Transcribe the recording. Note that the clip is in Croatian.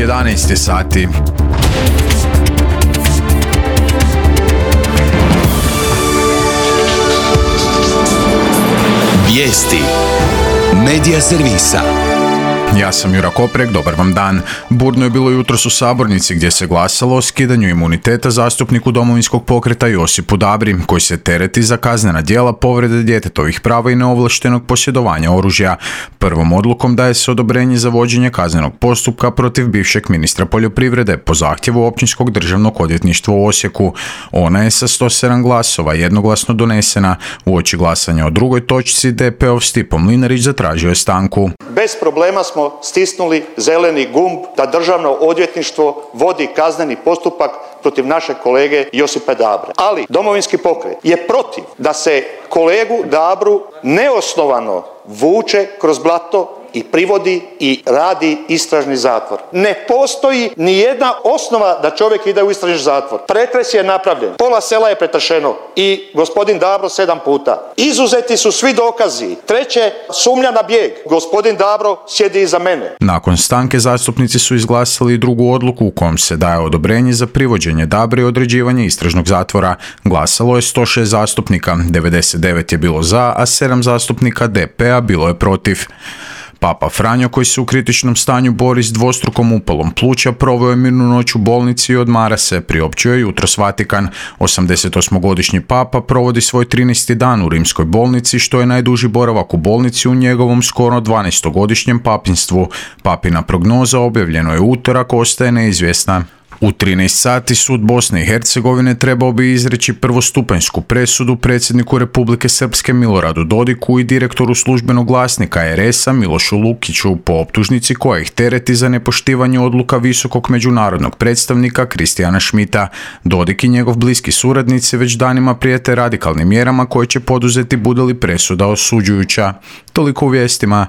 11 sati. Vijesti Medija servisa. Ja sam Jura Koprek, dobar vam dan. Burno je bilo jutros u sabornici gdje se glasalo o skidanju imuniteta zastupniku Domovinskog pokreta Josipu Dabri, koji se tereti za kaznena djela povrede djetetovih prava i neovlaštenog posjedovanja oružja. Prvom odlukom daje se odobrenje za vođenje kaznenog postupka protiv bivšeg ministra poljoprivrede po zahtjevu Općinskog državnog odvjetništva u Osijeku. Ona je sa 107 glasova jednoglasno donesena. Uoči glasanja o drugoj točci DP-ov Stipo Mlinarić zatražio je stanku. Bez problema smo stisnuli zeleni gumb da Državno odvjetništvo vodi kazneni postupak protiv našeg kolege Josipa Dabre. Ali Domovinski pokret je protiv da se kolegu Dabru neosnovano vuče kroz blato i privodi i radi istražni zatvor. Ne postoji ni jedna osnova da čovjek ide u istražni zatvor. Pretres je napravljen, pola sela je pretršeno i gospodin Dabro 7 puta. Izuzeti su svi dokazi. Treće, sumnja na bijeg. Gospodin Dabro sjedi iza mene. Nakon stanke zastupnici su izglasali drugu odluku u kojom se daje odobrenje za privođenje Dabre i određivanje istražnog zatvora. Glasalo je 106 zastupnika, 99 je bilo za, a 7 zastupnika DP-a bilo je protiv. Papa Franjo, koji se u kritičnom stanju bori s dvostrukom upalom pluća, proveo je mirnu noć u bolnici i odmara se, priopćio je jutros Vatikan. 88-godišnji papa provodi svoj 13. dan u rimskoj bolnici, što je najduži boravak u bolnici u njegovom skoro 12-godišnjem papinstvu. Papina prognoza objavljeno je utorak, ostaje neizvjesna. U 13 sati sud Bosne i Hercegovine trebao bi izreći prvostupanjsku presudu predsjedniku Republike Srpske Miloradu Dodiku i direktoru službenog glasnika RS-a Milošu Lukiću po optužnici koja ih tereti za nepoštivanje odluka visokog međunarodnog predstavnika Kristijana Schmidta. Dodik i njegov bliski suradnici već danima prijete radikalnim mjerama koje će poduzeti bude li presuda osuđujuća. Toliko u vijestima.